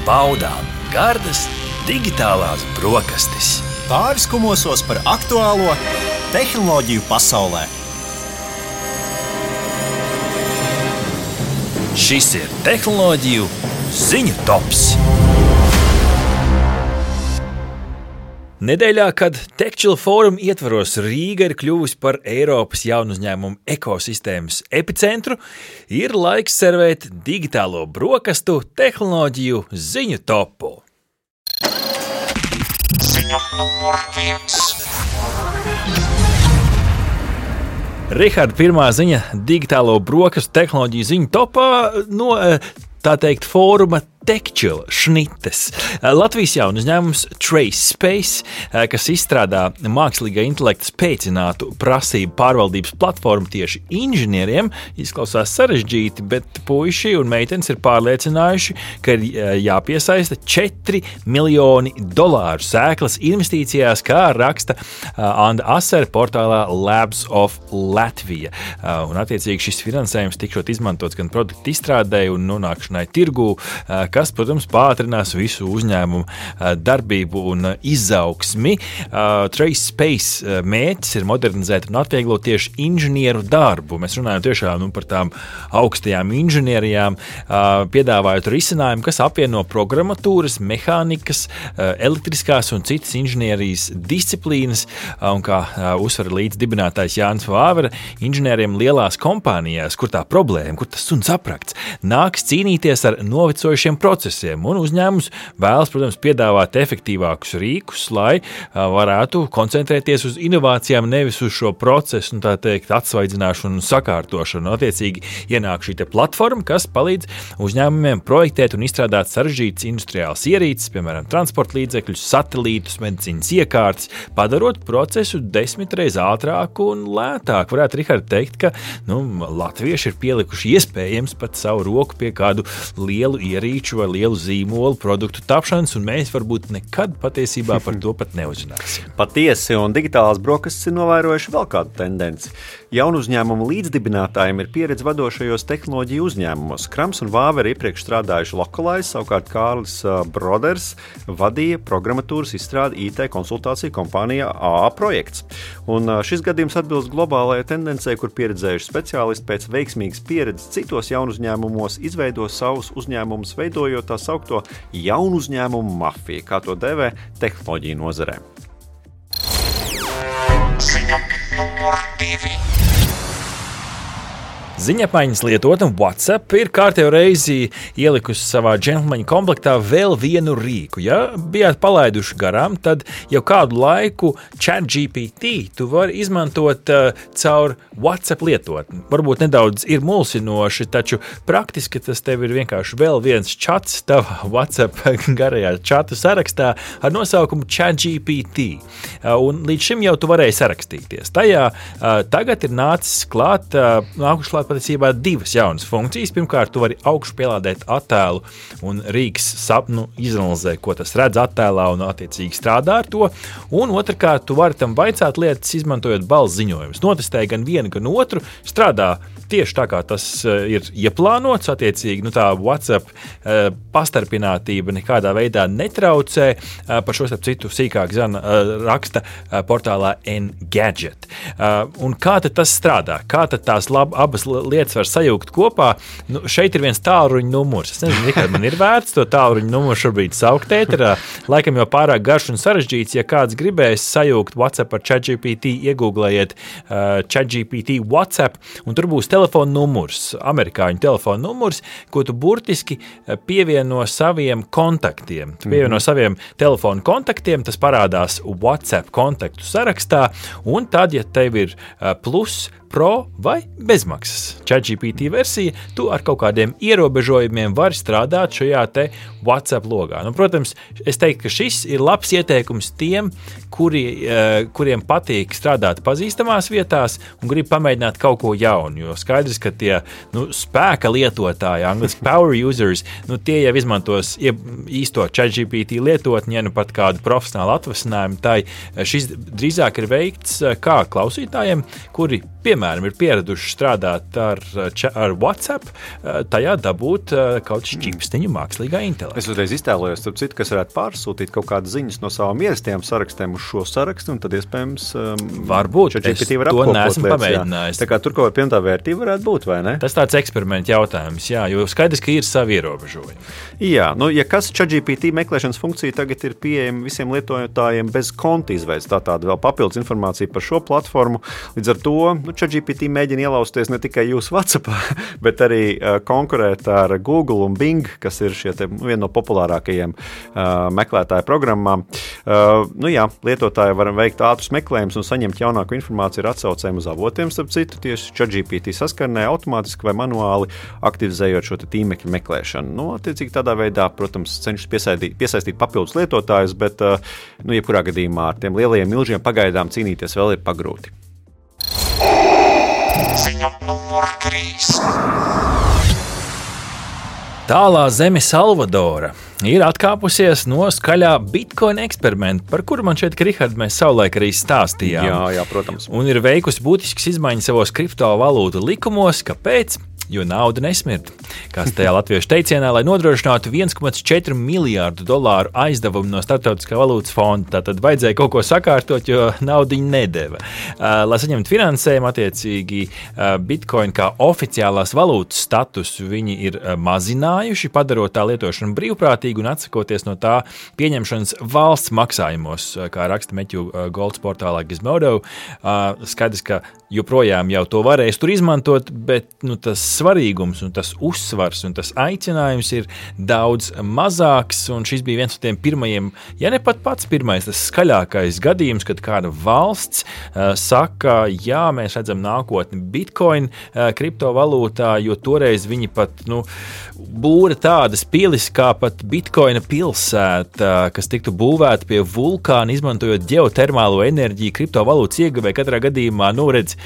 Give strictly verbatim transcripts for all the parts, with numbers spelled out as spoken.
baudām gardas digitālās brokastis. Pāris kumosos par aktuālo tehnoloģiju pasaulē. Šis ir tehnoloģiju ziņu tops. Nedēļā, kad TechChill fóruma ietvaros Rīga ir kļuvusi par Eiropas jaunu uzņēmumu ekosistēmas epicentru, ir laiks servēt digitālo brokastu tehnoloģiju ziņu topu. Ziņa numur viens. Riharda, pirmā ziņa digitālo brokastu tehnoloģiju ziņu topā no, tā teikt, fóruma TechChill šnites. Latvijas jaunu uzņēmums TraceSpace, kas izstrādā mākslīgā intelekta spēcinātu prasību pārvaldības platformu tieši inženieriem, izklausās sarežģīti, bet puiši un meitenes ir pārliecinājuši, ka ir jāpiesaista četri miljoni dolāru sēklas investīcijās, kā raksta Anda Asere portālā Labs of Latvia. Un attiecīgi šis finansējums tikšot izmantots gan produktu izstrādē un nonākšanai tirgū, kas, protams, pātrinās visu uzņēmumu darbību un izaugsmi. TraceSpace mērķis ir modernizēt un atvieglot tieši inženieru darbu. Mēs runājam tiešām nu, par tām augstajām inženierijām, piedāvājot risinājumu, kas apvieno programmatūras, mehānikas, elektriskās un citas inženierijas disciplīnas, un kā uzsver līdz dibinātājs Jānis Vāvera, inženieriem lielās kompānijās, kur tā problēma, kur tas suns aprakts, nāks cīnīties ar novecojušiem procesiem, un uzņēmums vēlas, protams, piedāvāt efektīvākus rīkus, lai varētu koncentrēties uz inovācijām, nevis uz šo procesu, un tā teikt, atsvaidzināšanu un sakārtošanu. Attiecīgi ienāk šī te platforma, kas palīdz uzņēmumiem projektēt un izstrādāt sarežģītas industriālas ierīces, piemēram, transporta līdzekļus, satelītus, medicīnas iekārtas, padarot procesu desmit reiz ātrāku un lētāku. Varētu, Rihard, teikt, ka nu, latvieši ir pielikuši iespējams pat savu roku pie kādu lielu ierīču vai lielu zīmolu produktu tapšanas, un mēs varbūt nekad patiesībā par to pat neuzzināsim. Patiesi, un digitālās brokastis ir novērojuši vēl kādu tendenci. Jaunu uzņēmumu līdzdibinātājiem ir pieredze vadošajos tehnoloģiju uzņēmumos. Krams un Vāvera iepriekš strādājuši Localize, savukārt Kārlis Broders vadīja programmatūras izstrādi I T konsultāciju kompānijā A A Projekts. Un šis gadījums atbilst globālajai tendencei, kur pieredzējuši speciālisti pēc veiksmīgas pieredzes citos jaunu uzņēmumos izveido savus uzņēmumus, veidojot tā saukto jaunu uzņēmumu mafiju, kā to dēvē tehnoloģiju nozarē. Ziņa numur divi. Ziņapmaiņas lietotne WhatsApp ir kārtējo reizi ielikusi savā džentlmeņa komplektā vēl vienu rīku. Ja bijāt palaiduši garām, tad jau kādu laiku ChatGPT tu vari izmantot uh, caur WhatsApp lietotni. Varbūt nedaudz ir mulsinoši, taču praktiski tas tev ir vienkārši vēl viens čats tavā WhatsApp garajā čatu sarakstā ar nosaukumu ChatGPT. Uh, un līdz šim jau tu varēji sarakstīties. Tajā uh, tagad ir nācis klāt, uh, nākuši klāt patiesībā divas jaunas funkcijas. Pirmkārt, tu vari augšu pielādēt attēlu un rīks sapnu izanalizē, ko tas redz attēlā un attiecīgi strādā ar to. Un otrkārt, tu vari tam vaicāt lietas, izmantojot balss ziņojumus. Notestēji gan vienu, gan otru, strādā tieši tā, kā tas ir ieplānots. Attiecīgi, nu tā WhatsApp uh, pastarpinātība nekādā veidā netraucē. Uh, par šo starp citu sīkāk zana uh, raksta uh, portālā Engadget. Uh, un kā tad tas strādā? Kā tad tās lab, abas lietas var sajaukt kopā? Nu, šeit ir viens tālruņa numurs. Es nezinu, kā man ir vērts to tālruņa numuru šobrīd saukt ēterā. Laikam jau pārāk garš un sarežģīts. Ja kāds gribēs sajaukt WhatsApp ar ChatGPT, iegūglējiet uh, ChatGPT WhatsApp, un tur būs telefona numurs, amerikāņu telefona numurs, ko tu burtiski pievieno saviem kontaktiem. Tu pievieno mm-hmm. saviem telefona kontaktiem, tas parādās WhatsApp kontaktu sarakstā, un tad, ja tev ir plus, pro vai bezmaksas ChatGPT versija, tu ar kaut kādiem ierobežojumiem vari strādāt šajā te WhatsApp logā. Nu, protams, es teiktu, ka šis ir labs ieteikums tiem, kuri, kuriem patīk strādāt pazīstamās vietās un grib pamēģināt kaut ko jaunu, jo skaidrs, ka tie nu, spēka lietotāji, angliski power users, nu, tie jau izmantos īsto ChatGPT lietotni, ja nu pat kādu profesionālu atvasinājumu, tai šis drīzāk ir veikts kā klausītājiem, kuri piemēram, ir pieraduši strādāt ar, ar WhatsApp, tajā dabūt kaut šķipstiņu mākslīgā intelekta. Es uzreiz iztēlojos, starp citu, kas varētu pārsūtīt kaut kādas ziņas no savām ierastajām sarakstiem uz šo sarakstu, un tad iespējams um, varbūt, es var to neesmu pamēģinājis. Tā kā tur kaut kāda pievienotā vērtība varētu būt, vai ne? Tas tāds eksperimenta jautājums, jā, jo skaidrs, ka ir savi ierobežojumi. Jā, nu, ja kas ChatGPT meklēšanas funkcija tagad ir pieejama visiem lietojotājiem bez konta izveids, tā tāda vēl papildus informācija par šo platformu. Līdz ar to nu, ChatGPT mēģina ielausties ne tikai jūsu WhatsAppā, bet arī uh, konkurēt ar Google un Bing, kas ir šie te, viena no populārākajiem uh, meklētāju programmām. Uh, nu jā, lietotāji var veikt ātrus meklējumus un saņemt jaunāku informāciju ar atsaucēm uz avotiem, starp citu, tieši ChatGPT saskarnē automātiski vai manuāli aktivizējot šo tīmekļu meklēšanu. Nu, attiecīgi tādā veidā, protams, cenšas piesaistīt, piesaistīt papildus lietotājus, bet, nu, jebkurā gadījumā ar tiem lielajiem milžiem pagaidām cīnīties vēl ir pagrūti. Ziņa numur trīs. Tālā zeme Salvadora ir atkāpusies no skaļā Bitcoin eksperimenta, par kuru man šeit, Rihard, mēs savulaik arī stāstījām. Jā, jā, protams. Un ir veikusi būtiskas izmaiņas savos kriptovalūtu likumos. Kāpēc? Jo nauda nesmird. Kāds tajā latviešu teicienā, lai nodrošinātu viens komā četri miljārdu dolāru aizdevumu no Startautiskā valūtas fonda. Tātad vajadzēja kaut ko sakārtot, jo naudiņu nedeva. Uh, lai saņemtu finansējumu, attiecīgi uh, Bitcoin kā oficiālās valūtas status viņi ir uh, mazinājuši, padarot tā lietošanu brīvprātīgu un atsakoties no tā pieņemšanas valsts maksājumos, uh, kā raksta Meķu uh, Golds portālā Gizmodo. Uh, skaidrs, ka joprojām jau to varēs tur izmantot, bet nu, tas svarīgums un tas uzsvars un tas aicinājums ir daudz mazāks, un šis bija viens no tiem pirmajiem, ja ne pat pats pirmais, tas skaļākais gadījums, kad kāda valsts uh, saka, jā, mēs redzam nākotni Bitcoin uh, kriptovalūtā, jo toreiz viņi pat, nu, būra tādas pilis kā pat Bitcoina pilsēta, kas tiktu būvēta pie vulkāna, izmantojot ģeotermālo enerģiju kriptovalūtas ieguvē katrā gadījumā, nu, redz,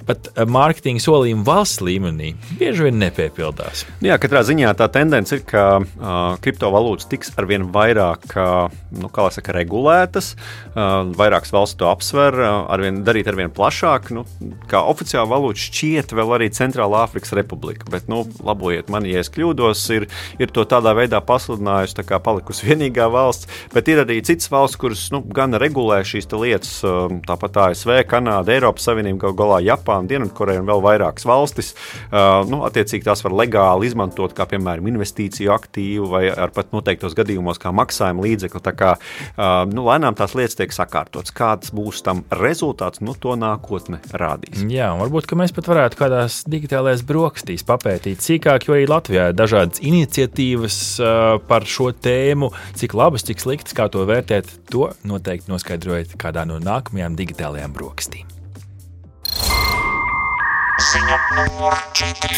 pat mārketinga solījumi valsts līmenī bieži vien nepiepildās. Jā, katrā ziņā tā tendence ir, ka uh, kriptovalūtas tiks arvien vairāk, uh, nu, kā lai saka, regulētas, uh, vairākas valsts to apsver, uh, arvien, darīt arvien plašāk. Nu, kā oficiāla valūta šķiet vēl arī Centrālā Āfrikas Republika, bet, nu, labojiet mani, ja es kļūdos, ir, ir to tādā veidā pasludinājusi, tā kā palikusi vienīgā valsts, bet ir arī citas valsts, kuras, nu, gan regulē šīs lietas, uh, tāpat A S V, Kanāda, Eiropas Savienība, gal galā Japāna, Dienvidkoreja un vēl vairākas valstis. Uh, nu, attiecīgi tās var legāli izmantot kā, piemēram, investīciju aktīvu vai ar pat noteiktos gadījumos kā maksājuma līdzekli. Tā kā, uh, nu, lēnām tās lietas tiek sakārtotas. Kāds būs tam rezultāts, nu, to nākotne rādīs. Jā, varbūt, ka mēs pat varētu kādās digitālajās brokastīs papētīt sīkāk, jo arī Latvijā ir dažādas iniciatīvas uh, par šo tēmu. Cik labas, cik sliktas, kā to vērtēt, to noteikti noskaidrojiet kādā no nākamajām digitālajām brokastīm. Ziņa numur četri.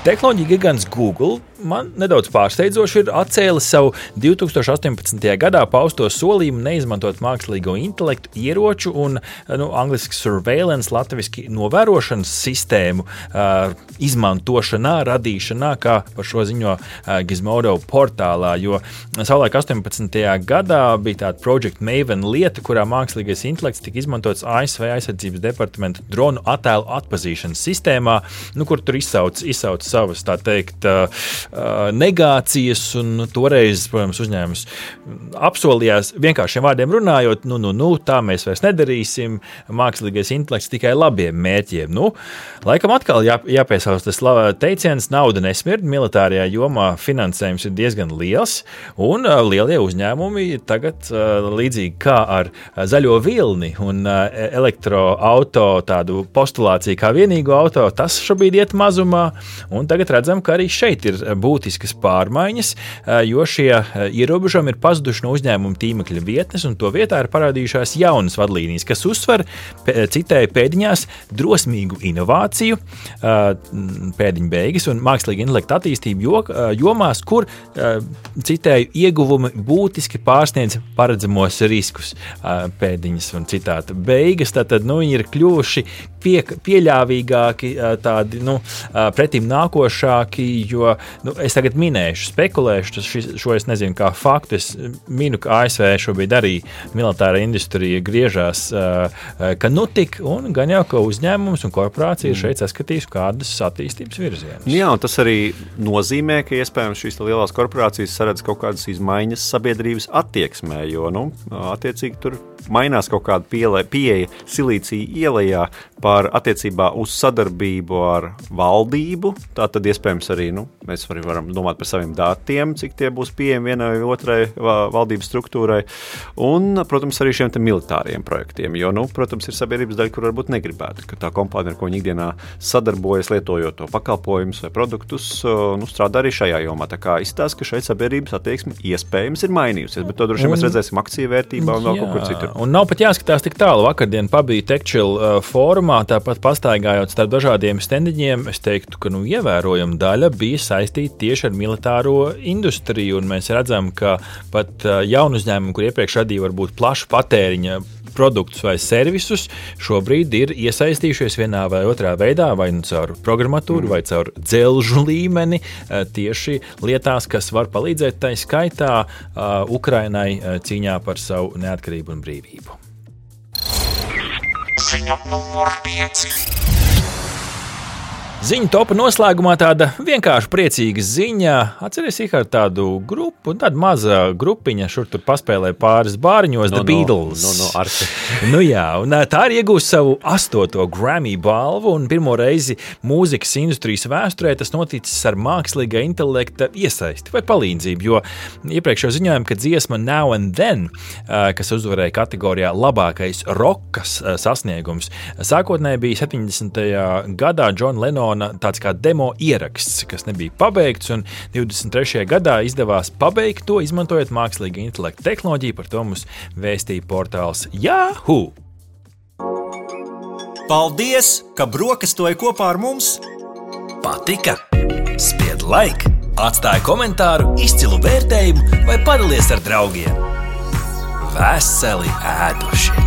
Tehnoloģija gigants Google man nedaudz pārsteidzoši ir atcēlis savu divi tūkstoši astoņpadsmitajā gadā pausto solījumu neizmantot mākslīgo intelektu ieroču un, nu, angliski surveillance, latviski novērošanas sistēmu uh, izmantošanā, radīšanā, kā par šo ziņo uh, Gizmodo portālā, jo savulaik astoņpadsmitajā gadā bija tāda Project Maven lieta, kurā mākslīgais intelekts tika izmantots A S V aizsardzības departamenta dronu attēlu atpazīšanas sistēmā, nu, kur tur izsauc, izsauc savas, tā teikt, uh, negācijas, un toreiz, protams, uzņēmums apsolījās vienkāršiem vārdiem runājot, nu, nu, nu, tā mēs vairs nedarīsim, mākslīgais intelekts tikai labiem mērķiem. Nu, laikam atkal jā, jāpiesauc tas teiciens, nauda nesmird, militārajā jomā finansējums ir diezgan liels, un uh, lielie uzņēmumi tagad uh, līdzīgi kā ar zaļo vilni un uh, elektroauto tādu postulāciju kā vienīgo auto, tas šobrīd iet mazumā, un tagad redzam, ka arī šeit ir būtiskas pārmaiņas, jo šie ierobežojumi ir pazuduši no uzņēmuma tīmekļa vietnes, un to vietā ir parādījušās jaunas vadlīnijas, kas uzsver, citēju pēdiņās, drosmīgu inovāciju, pēdiņu beigas un mākslīga intelekta attīstību jomās, kur, citēju, ieguvumi būtiski pārsniedz paredzamos riskus, pēdiņas un citāta beigas, tātad, nu, viņi ir kļuvuši pie, pieļāvīgāki, tādi, nu, pretim nākoši nākošāki, jo nu, es tagad minēšu, spekulēšu, tas šis, šo es nezinu kā faktu, es minu, ka A S V šobrīd arī militāra industrija griežās, ka nu tik, un gan jau, ka uzņēmums un korporācija šeit saskatīs kādus attīstības virzienus. Jā, un tas arī nozīmē, ka iespējams šīs lielās korporācijas saredz kaut kādas izmaiņas sabiedrības attieksmē, jo, nu, attiecīgi tur mainās kaut kāda pieeja, pieeja Silīcija ielejā par attiecībā uz sadarbību ar valdību. Tā tad iespējams arī, nu, mēs arī varam domāt par saviem datiem, cik tie būs pieejami vienai vai otrai valdības struktūrai. Un, protams, arī šiem te militāriem projektiem, jo, nu, protams, ir sabiedrības daļa, kur varbūt negribētu, ka tā kompānija, ar ko viņi ikdienā sadarbojas, lietojot to pakalpojumus vai produktus, nu, strādā arī šajā jomā. Tā kā izstāsta, ka šeit sabiedrības attieksme iespējams ir mainījusies, bet to droši vien mēs redzēsim akciju vērtībā un vēl kaut kur citur. Un nav pat jāskatās tik tālu. Vakardien pabija TechChill uh, fórumā, tāpat pastaigājot starp dažādiem stendiņiem, es teiktu, ka nu, ievērojama daļa bija saistīta tieši ar militāro industriju, un mēs redzam, ka pat uh, jaunu uzņēmumu, kur iepriekš radīja varbūt plašu patēriņa produktus vai servisus, šobrīd ir iesaistījušies vienā vai otrā veidā, vai nu caur programmatūru, vai caur dzelžu līmeni, tieši lietās, kas var palīdzēt tai skaitā uh, Ukrainai uh, cīņā par savu neatkarību un brīvību. Ziņa numur pieci. Ziņu topa noslēgumā tāda vienkārši priecīga ziņa. Atceries, Ihar, tādu grupu, tāda maza grupiņa, šur tur paspēlē pāris bāriņos, no, The Beatles. No, no, no, nu jā, un tā ir iegūst savu astoto Grammy balvu, un pirmo reizi mūzikas industrijas vēsturē tas noticis ar mākslīgā intelekta iesaisti vai palīdzību, jo iepriekš jau ziņojām, ka dziesma Now and Then, kas uzvarēja kategorijā labākais rokas sasniegums, sākotnēji bija septiņdesmitajā gadā John Lennon tāds kā demo ieraksts, kas nebija pabeigts, un divdesmit trešajā gadā izdevās pabeigt to, izmantojot mākslīga intelekta tehnoloģiju, par to mums vēstīja portāls Yahoo! Paldies, ka brokastoji kopā ar mums! Patika? Spied like, atstāj komentāru, izcilu vērtējumu vai padalies ar draugiem. Veseli ēduši!